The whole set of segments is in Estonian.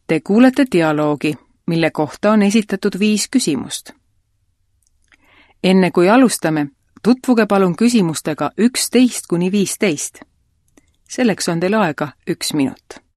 Te kuulete dialoogi, mille kohta on esitatud 5 küsimust. Enne kui alustame, tutvuge palun küsimustega 11–15. Selleks on teil aega 1 minut.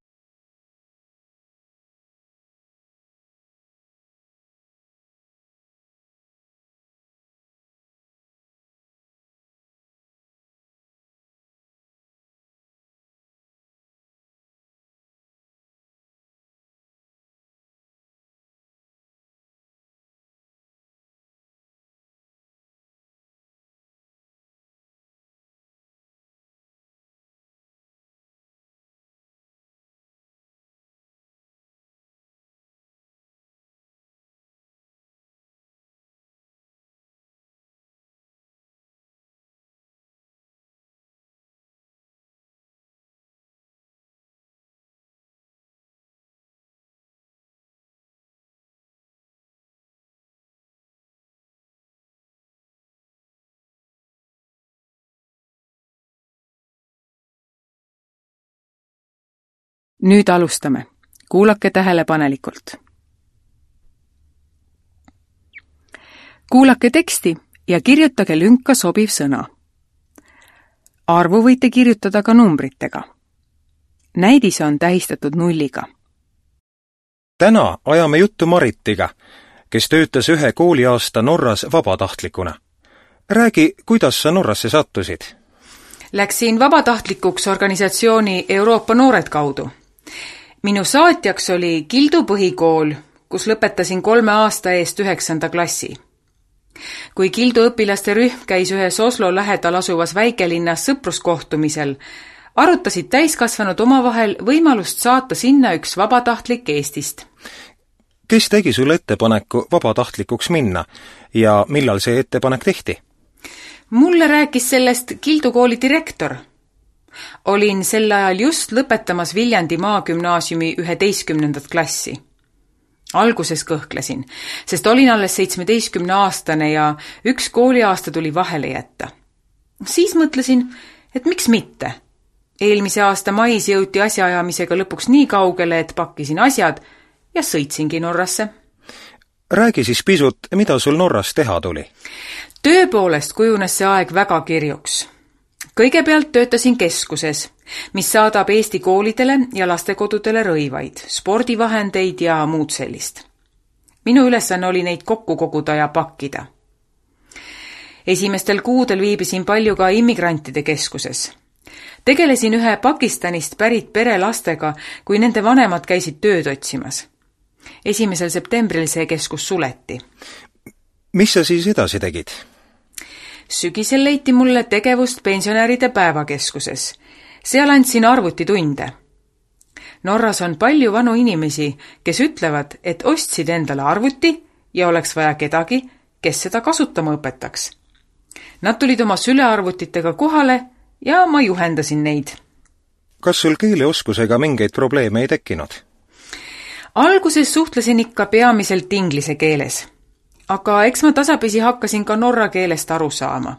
Nüüd alustame. Kuulake tähelepanelikult. Kuulake teksti ja kirjutage lünka sobiv sõna. Arvu võite kirjutada ka numbritega. Näidis on tähistatud 0-ga. Täna ajame juttu Maritiga, kes töötas 1 kooliaasta Norras vabatahtlikuna. Räägi, kuidas sa Norrasse sattusid? Läksin vabatahtlikuks organisatsiooni Euroopa Noored kaudu. Minu saatjaks oli Kildu põhikool, kus lõpetasin 3 aasta eest 9. klassi. Kui Kildu õpilaste rühm käis ühes Oslo lähedal asuvas väikelinnas sõpruskohtumisel, arutasid täiskasvanud omavahel võimalust saata sinna 1 vabatahtlik Eestist. Kes tegi sulle ettepaneku vabatahtlikuks minna ja millal see ettepanek tehti? Mulle rääkis sellest Kildu kooli direktor. Olin sel ajal just lõpetamas Viljandi maagümnaasiumi 11. klassi. Alguses kõhklesin, sest olin alles 17-aastane ja 1 kooliaasta tuli vahele jätta. Siis mõtlesin, et miks mitte. Eelmise aasta mais jõuti asjaajamisega lõpuks nii kaugele, et pakkisin asjad ja sõitsingi Norrasse. Räägi siis pisut, mida sul Norras teha tuli? Tööpoolest kujunes see aeg väga kirjuks. Kõigepealt töötasin keskuses, mis saadab Eesti koolidele ja lastekodudele rõivaid, spordivahendeid ja muud sellist. Minu ülesanne oli neid kokku koguda ja pakkida. Esimestel kuudel viibisin palju ka immigrantide keskuses. Tegelesin 1 Pakistanist pärit pere lastega, kui nende vanemad käisid tööd otsimas. 1. septembril see keskus suleti. Mis sa siis edasi tegid? Sügisel leiti mulle tegevust pensionäride päevakeskuses. Seal andsin arvutitunde. Norras on palju vanu inimesi, kes ütlevad, et ostsid endale arvuti ja oleks vaja kedagi, kes seda kasutama õpetaks. Nad tulid oma sülearvutitega kohale ja ma juhendasin neid. Kas sul keeleoskusega mingeid probleeme ei tekkinud? Alguses suhtlesin ikka peamiselt inglise keeles. Aga eks ma tasapisi hakkasin ka norra keelest aru saama.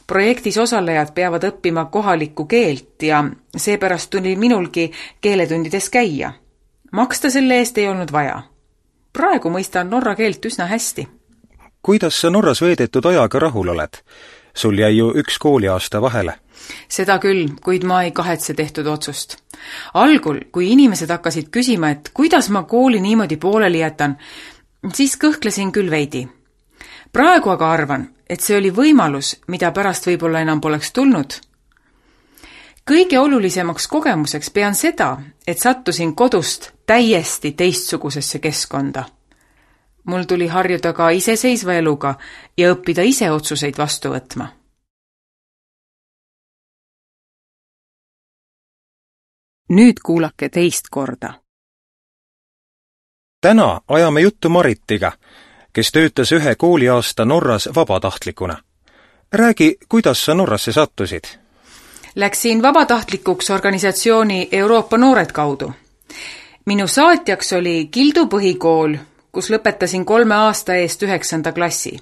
Projektis osalejad peavad õppima kohalikku keelt ja seepärast tuli minulgi keeletundides käia. Maksta selle eest ei olnud vaja. Praegu mõistan norra keelt üsna hästi. Kuidas sa Norras veedetud ajaga rahul oled? Sul jäi ju 1 kooliaasta vahele. Seda küll, kuid ma ei kahetse tehtud otsust. Algul, kui inimesed hakkasid küsima, et kuidas ma kooli niimoodi pooleli jätan, siis kõhklesin küll veidi. Praegu aga arvan, et see oli võimalus, mida pärast võib-olla enam poleks tulnud. Kõige olulisemaks kogemuseks pean seda, et sattusin kodust täiesti teistsugusesse keskkonda. Mul tuli harjuda ka iseseisva eluga ja õppida ise otsuseid vastu võtma. Nüüd kuulake teist korda. Täna ajame juttu Maritiga, kes töötas 1 kooliaasta Norras vabatahtlikuna. Räägi, kuidas sa Norrasse sattusid? Läksin vabatahtlikuks organisatsiooni Euroopa Noored kaudu. Minu saatjaks oli Kildu põhikool, kus lõpetasin 3 aasta eest 9. klassi.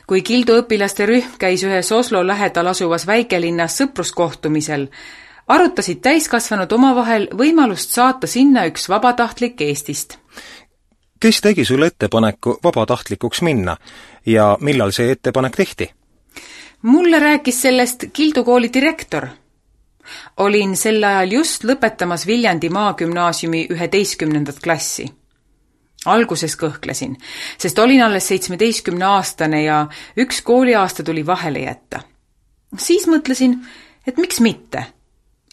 Kui Kildu õpilaste rühm käis ühes Oslo lähedal asuvas väikelinnas sõpruskohtumisel, arutasid täiskasvanud omavahel võimalust saata sinna üks vabatahtlik Eestist. Kes tegi sulle ettepaneku vabatahtlikuks minna ja millal see ettepanek tehti? Mulle rääkis sellest Kildu kooli direktor. Olin sel ajal just lõpetamas Viljandi Maagümnaasiumi 11. klassi. Alguses kõhklesin, sest olin alles 17-aastane ja üks kooliaasta tuli vahele jätta. Siis mõtlesin, et miks mitte.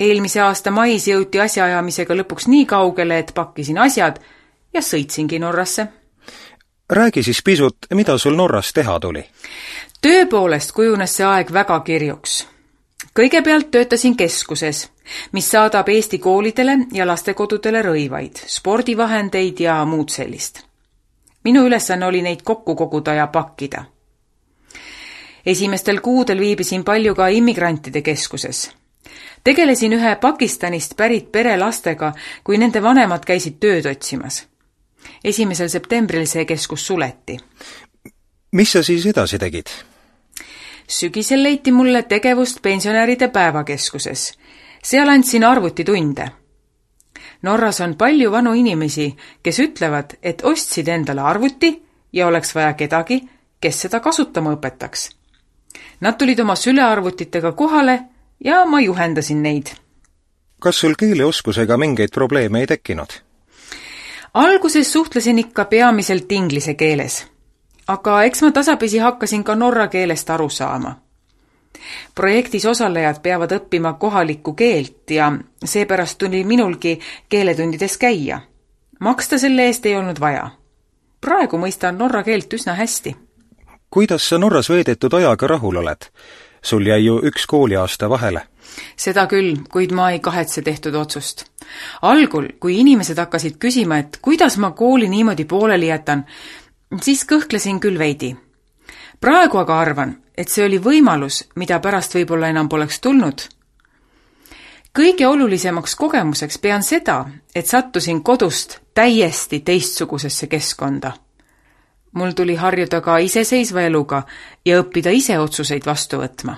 Eelmise aasta mais jõuti asjaajamisega lõpuks nii kaugele, et pakkisin asjad ja sõitsingi Norrasse. Räägi siis pisut, mida sul Norras teha tuli? Töö poolest kujunes see aeg väga kirjuks. Kõigepealt töötasin keskuses, mis saadab Eesti koolidele ja lastekodudele rõivaid, spordivahendeid ja muud sellist. Minu ülesanne oli neid kokku koguda ja pakkida. Esimestel kuudel viibisin palju ka immigrantide keskuses. Tegelesin ühe Pakistanist pärit pere lastega, kui nende vanemad käisid tööd otsimas. 1. septembril see keskus suleti. Mis sa siis edasi tegid? Sügisel leiti mulle tegevust pensionäride päevakeskuses. Seal andsin arvutitunde. Norras on palju vanu inimesi, kes ütlevad, et ostsid endale arvuti ja oleks vaja kedagi, kes seda kasutama õpetaks. Nad tulid oma sülearvutitega kohale ja ma juhendasin neid. Kas sul keeleoskusega mingeid probleeme ei tekkinud? Alguses suhtlesin ikka peamiselt inglise keeles, aga eks ma tasapisi hakkasin ka norra keelest aru saama. Projektis osalejad peavad õppima kohalikku keelt ja seepärast tuli minulgi keeletundides käia. Maksta selle eest ei olnud vaja. Praegu mõistan norra keelt üsna hästi. Kuidas sa Norras veedetud ajaga rahul oled? Sul jäi ju üks kooliaasta vahele. Seda küll, kuid ma ei kahetse tehtud otsust. Algul, kui inimesed hakkasid küsima, et kuidas ma kooli niimoodi pooleli jätan, siis kõhklesin küll veidi. Praegu aga arvan, et see oli võimalus, mida pärast võib-olla enam poleks tulnud. Kõige olulisemaks kogemuseks pean seda, et sattusin kodust täiesti teistsugusesse keskkonda. Mul tuli harjuda ka iseseisva eluga ja õppida ise otsuseid vastu võtma.